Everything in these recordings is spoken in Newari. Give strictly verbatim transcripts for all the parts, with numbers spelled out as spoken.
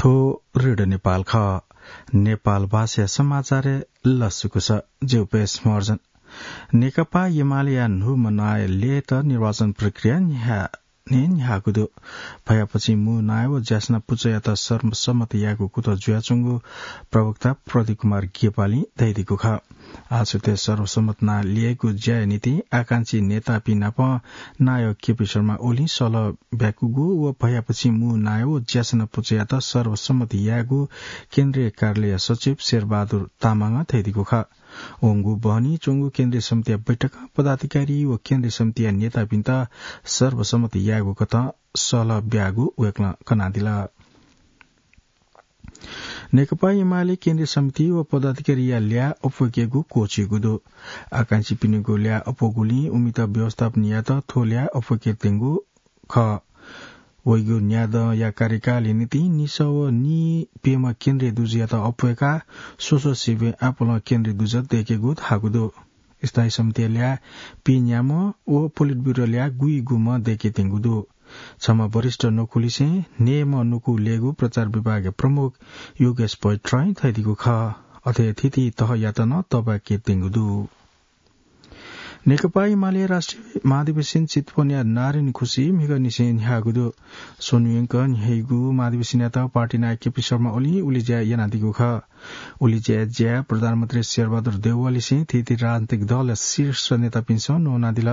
थ्व रेडियो नेपाल खः। नेपाल भाषाया समाचारय् लसकुस। ज्यू पेश मर्जन। नेकपा एमालेया न्हूम्ह नायः ल्ययेत निर्वाचन प्रक्रिया न्ह्या-, न्ह्यागु दु। भयापछि मू नायः व ज्यासना पुचःयात सर्वसम्मत यायेगु कुतः जुयाच्वंगु प्रवक्ता प्रदीप कुमार नेपालीं धयादीगु खः। आः सुथय् सर्वसम्मत नायः ल्ययेगु ज्याया निंतिं आकांक्षी नेतापिं नाप नायः केपी शर्मा ओलीं सल्लाह ब्याकूगु व भयापछि मू नायः व ज्यासना पुचःयात सर्वसम्मत यायेगु केन्द्रीय कार्यालय सचिव शेरबहादुर तामाङं धयादीगु खः। वंगु बहनी च्वंगु केन्द्रीय समितिया बैठकं पदाधिकारी व केन्द्रीय समितिया नेतापिन्त सर्वसम्मत यायेगु कथं सल्लाह ब्याःगु वय्कलं कनादिल। नेकपा एमाले केन्द्रीय समिति व पदाधिकारीया ल्याः अप्वय्केगु क्वःछिइगु दु। आकांक्षीपिनिगु ल्याः अप्वःगुलिं उमित व्यवस्थापन यायेत थ्व ल्याः अप्वय्के त्यंगु खः। वइगु न्यादँया कार्यकालया निंतिं निसः व नीप्यम्ह केन्द्रीय दुजःयात अप्वय्काः स्वस्वसिबें आपालं केन्द्रीय दुजः दय्केगु धाःगु दु। स्थायी समितिया ल्याः पीन्याम्ह व पोलिट ब्युरो ल्याः गुइगुम्ह दय्के त्यंगु दु। छम्ह वरिष्ठ न्वकुलिसें न्हय्म्ह न्वकु ल्ययेगु प्रचार विभागया प्रमुख योगेश पोइट्रां धयादीगु खः। अथे थीथी तहयात नं तःबाके त्यंगु दु। नेकपा एमाले राष्ट्रिय महाधिवेशन चितवनया नारायणखुसी म्हिगःनिसें न्ह्याःगु दु। स्वन्हु यंक न्ह्याइगु महाधिवेशनयात पार्टी नायः केपी शर्मा ओलीं उलेज्या यानादीगु खः। उलेज्याया ज्याय् प्रधानमन्त्री शेरबहादुर देउवालिसें थीथी राजनीतिक दलया शीर्ष नेतापिन्सं न्वनादिल।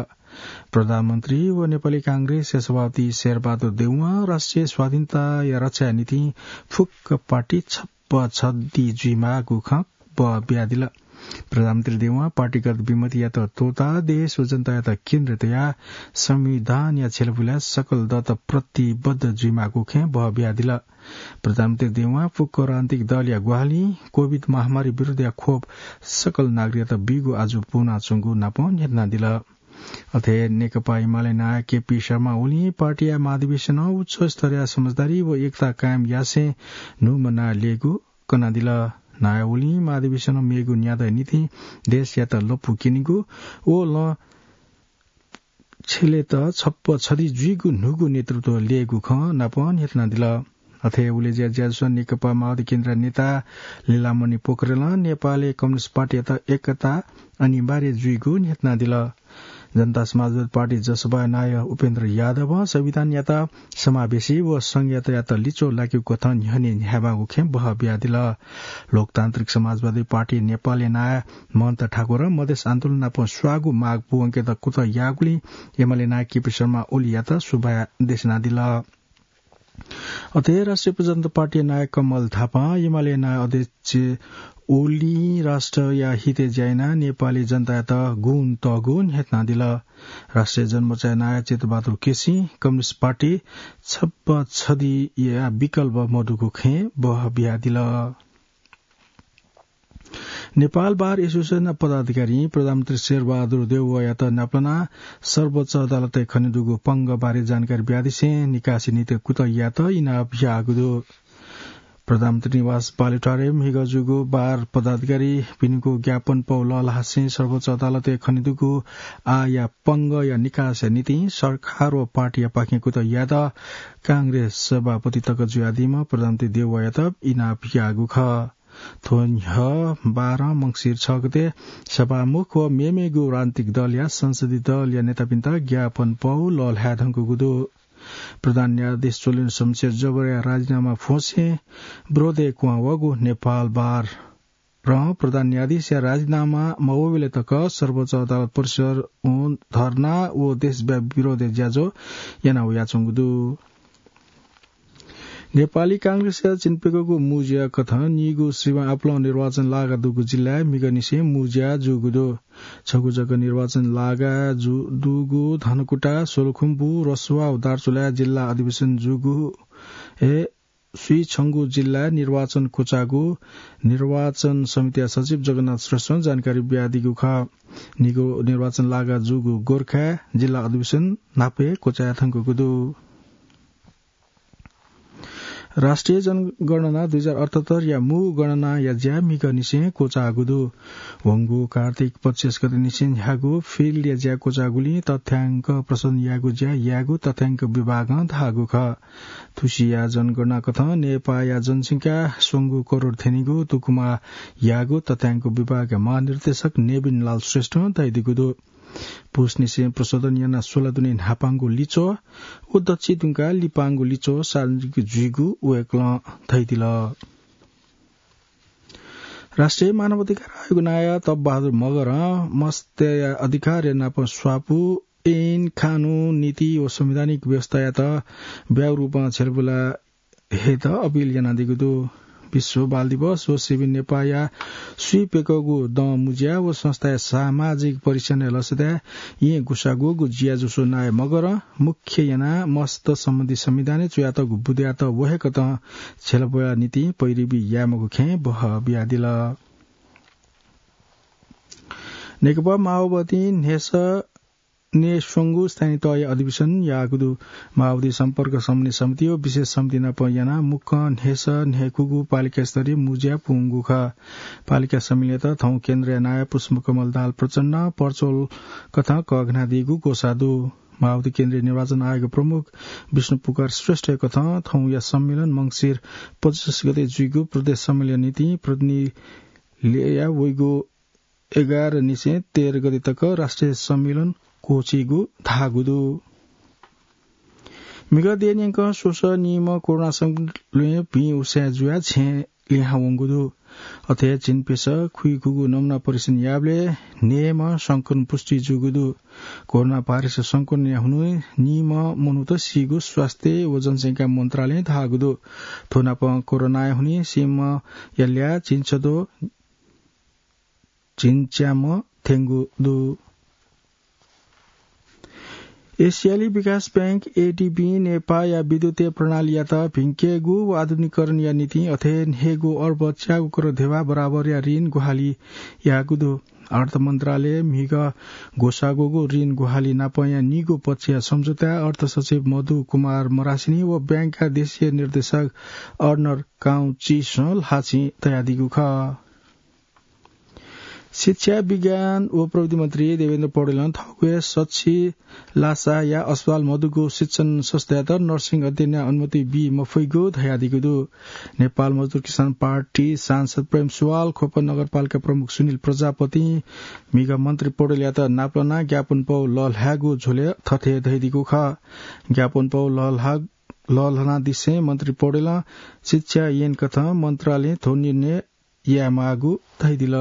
प्रधानमन्त्री व नेपाली कांग्रेसया सभापति शेरबहादुर देउवां राष्ट्रिय स्वाधीनताया रक्षाया निंतिं फुक्क पार्टी छप्प छधि जुइमाःगु खँ बः बियादिल। प्रधानमन्त्री देउवां पार्टीगत विमतियात त्वःताः देश व जनतायात केन्द्र तयाः संविधानया छ्यलापुलाय् सकल दत प्रतिबद्ध जुइमाःगु खँ बः बियादिल। प्रधानमन्त्री देउवां फुक्क राजनीतिक दलया ग्वाहालिं कोभिड महामारी विरुद्धया खोप सकल नागरिकयात बीगु आजु पूवनाच्वंगु नापं न्ह्यथनादिल। अथे नेकपा एमाले नायः केपी शर्मा ओलीं पार्टीया महाधिवेशनं उच्च स्तरया समझदारी व एकता कायम यासें न्हूम्ह नायः ल्ययेगु कनादिल। नायः ओलीं महाधिवेशनं मेगु न्यादँया निंतिं देशयात लँपु क्यनीगु व लँ छ्यलेत छप्प छधि जुइगु न्हूगु नेतृत्व ल्ययेगु खँ नापं न्ह्यथनादिल। अथे उलेज्या ज्याझ्वलय् नेकपा माओवादी केन्द्रया नेता लीलामणि पोखरेलं नेपालय् कम्युनिस्ट पार्टीयात एकता अनिवार्य जुइगु न्ह्यथनादिल। जनता समाजवादी पार्टी जसपाया नायः उपेन्द्र यादवं संविधानयात समावेशी व संघीयतायात लिच्वः लाकेगु कथं न्ह्यःने न्ह्यायेमाःगु खँ बः बियादिल। लोकतान्त्रिक समाजवादी पार्टी नेपालया नायः महन्त ठाकुरं मधेस आन्दोलन नाप स्वाःगु माग पूवंकेत कुतः याःगुलिं एमाले नायः केपी शर्मा ओलीयात सुभाय् देछानादिल। अथे राष्ट्रिय प्रजातन्त्र पार्टीया नायः कमल थापां एमाले नायः अध्यक्ष ओलीं राष्ट्रया हितय् ज्या यानाः नेपाली जनतायात गुण तःगु न्ह्यथनादिल। राष्ट्रिय जनमोर्चाया नायः चितबहादुर केसीं कम्युनिस्ट पार्टी छप्प छधिया विकल्प मदुगु खँ बः बियादिल। नेपाल बार एसोसिएसनया पदाधिकारीं प्रधानमन्त्री शेरबहादुर देउवायात नापलानाः सर्वोच्च अदालतय् खनेदुगु पंगः बारे जानकारी बियादिसें निकासी निंतिं कुतः यायेत इनाप याःगु दु। प्रधानमन्त्री निवास बालुवाटारय् म्हिगः जूगु बार पदाधिकारीपिनिगु ज्ञापन पौ लःल्हासें सर्वोच्च अदालतय् खनेदुगु आःया पंगःया निकासया निंतिं सरकार व पार्टीयापाखें कुतः यायेत कांग्रेस सभापति तक जुयादीम्ह प्रधानमन्त्री देउवायात इनाप याःगु खः। थ्व न्ह्यः बारं मंसिर छ गते सभामुख व मेमेगु राजनीतिक दलया संसदीय दलया नेतापिन्त ज्ञापन पौ लःल्हाये धुंकूगु दु। प्रधान न्यायाधीश चोलेन्द्र शमशेर जबरया राजीनामा फ्वंसें विरोधय् क्वहां वःगु नेपाल बारं प्रधान न्यायाधीशया राजीनामा मवःबलय् तक सर्वोच्च अदालत परिसरय् धर्ना व देशव्यापी विरोधय् ज्याझ्वः याना वयाच्वंगु दु। नेपाली कांग्रेसया चिनाप्यंगू मू ज्या कथं नीगू सिबें आपालं निर्वाचन लागा दुगु जिल्लाय् म्हिगःनिसें मू ज्या जूगु दु। छगू जक निर्वाचन लागा जु-, दुगु धनकुटा, सोलुखुम्बु, रसुवा व दार्चुलाय् जिल्ला अधिवेशन जूगु हे स्वीछंगू जिल्लाय् निर्वाचन क्वचाःगु निर्वाचन समितिया सचिव जगन्नाथ श्रेष्ठं जानकारी बियादीगु खः। नीगू निर्वाचन लागा जूगु गोर्खाय् जिल्ला अधिवेशन न्हापा हे क्वचाये धुंकूगु दु। राष्ट्रिय जनगणना दुई हजार अठहत्तर या मू गणनाया ज्या म्हिगःनिसें क्वचाःगु दु। वंगु कार्तिक पच्चिस गतेनिसें ह्याःगु field या ज्या क्वचाःगुलिं तथ्याङ्क प्रशोधन यायेगु ज्या यायेगु तथ्याङ्क विभागं धाःगु खः। थुसिया जनगणना कथं नेपाःया जनसंख्या स्वंगू करोड थ्यनीगु तुकुमा याःगु तथ्याङ्क विभागया महानिर्देशक नेबिन लाल श्रेष्ठं धयादीगु दु। पुसनिसें प्रशोधन यानाः स्वला दुने न्हापांगु लिच्वः व दच्छि दुंकाः लिपांगु लिच्वः सार्वजनिक जुइगु वय्कलं धयादिल। राष्ट्रिय मानव अधिकार आयोग नायः तप बहादुर मगरं मस्तया अधिकार नाप स्वापू ऐन, कानून, नीति व संवैधानिक व्यवस्थायात ब्यागु रूपं छ्यलाबुला हयेत अपिल यानादीगु दु। विश्व बाल दिवस व सेभि नेपाःया स्वीप्यकःगु दँ मुज्या व संस्थाया सामाजिक परिसरय् लसताय् येँ गुसागूगु ज्याझ्वः नायः मगरं मुख्य यानाः मस्त सम्बन्धी संविधानय् च्वयातःगु बुँदयात वहेकतं छ्यलाबुला निंतिं पैरवी याये मखु खँय् बहः बियादिल। नेकपा माओवादीं न्ह्यसः न्हय्स्वंगू स्थानीय तहया अधिवेशन याःगु दु। माओवादी सम्पर्क समन्वय समिति व विशेष समिति नाप यानाः मुक्कं न्हय्सः न्हय्कूगु पालिका स्तरीय मुज्या पूवंगु खः। पालिका सम्मेलनयात थौं केन्द्रया नायः पुष्पकमल दाहाल प्रचण्डं virtual कथं कःघानादीगु ग्वसाः दु। माओवादी केन्द्रीय निर्वाचन आयोग प्रमुख विष्णु पुकार श्रेष्ठया कथं थौंया सम्मेलन मंसिर पच्चिस गते जुइगु प्रदेश सम्मेलन निंतिं प्रतिनिधि ल्यया वइगु एघार निसें तेह्र गते तक राष्ट्रिय सम्मेलन क्वःछीगु धाःगु दु। म्हिगः देय् न्यंकं स्वसः नीम्ह कोरोना संक्रमित ल्वय् भिं उसाँय् जुयाः छेँय् लिहां वंगु दु। अथे हे झिंप्यसः खुइखुगू नमुना परीक्षण याःबलय् न्हय्म्ह संक्रमण पुष्टि जूगु दु। कोरोना भाइरस संक्रमणया हुनिं नीम्ह मनूत सीगु स्वास्थ्य व जनसंख्या मन्त्रालयं धाःगु दु। थ्व नापं कोरोनाया हुनिं सीम्हया ल्याः झिंछद्वः झिंच्याम्ह थ्यंगु दु। एसियाली विकास बैंक, एडीबी, नेपाःया विद्युतीय प्रणालीयात भिंकेगु व आधुनिकीकरणया निंतिं अथे हे न्हय्गू अर्ब च्यागू करोड ध्यबा बराबरया ऋण ग्वाहालि याःगु दु। अर्थ मन्त्रालयं म्हिगः ग्वसाःगु ऋण ग्वाहालि नापंया निगू पक्षया सम्झौताय् अर्थ सचिव मधु कुमार मरासिनी व बैंकया देशीय निर्देशक अर्नर काउचिसं ल्हाःचिं तयादीगु खः। शिक्षा, विज्ञान व प्रविधि मन्त्री देवेन्द्र पौडेलं थःगु हे सछि लासाया अस्पताल मदुगु शिक्षण संस्थायात नर्सिङ अध्ययनया अनुमति बी मफइगु धयादीगु दु। नेपाल मजदुर किसान पार्टी सांसद प्रेम सुवाल, ख्वप नगरपालिका प्रमुख सुनिल प्रजापतिं म्हिगः मन्त्री पौडेलयात नापलानाः ज्ञापन पौ लःल्हायेगु झ्वलय् थथे धयादीगु खः। ज्ञापन पौ लःल्हा-, लःल्हानादिसें मन्त्री पौडेलं शिक्षा ऐन कथं मन्त्रालयं थ्व निर्णय यायेमाःगु धयादिल।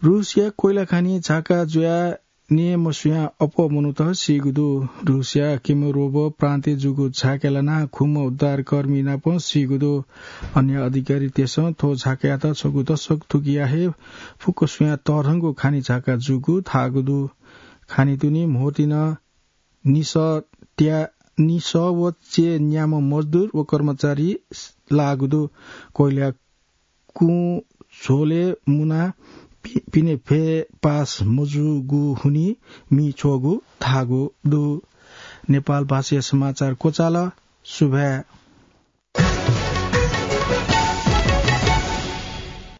रूसया कोइला खानी झाका जुयाः नये मसुयां अप्वः मनूत सीगु दु। रूसया किमरोव प्रान्तय् जूगु झाकाय् लानाः खुम्ह उद्धारकर्मी नाप सीगु दु। अन्य अधिकारीतय्सं थ्व झाकायात छगू दशक थुकिया हे फुक्क स्वयां तःधंगु खानी झाका जूगु धाःगु दु। खानी दुने म्होतिन निसः त्या-, निसः व च्यय् न्याम्ह मजदुर व कर्मचारी लाःगु दु। कोइला कुँ झ्वलय् मुनाः पि-, पिने फय् पास मजूगु हुनिं मि छ्वःगु धाःगु दु। नेपाल भाषाया समाचार क्वचाल। सुभाय्।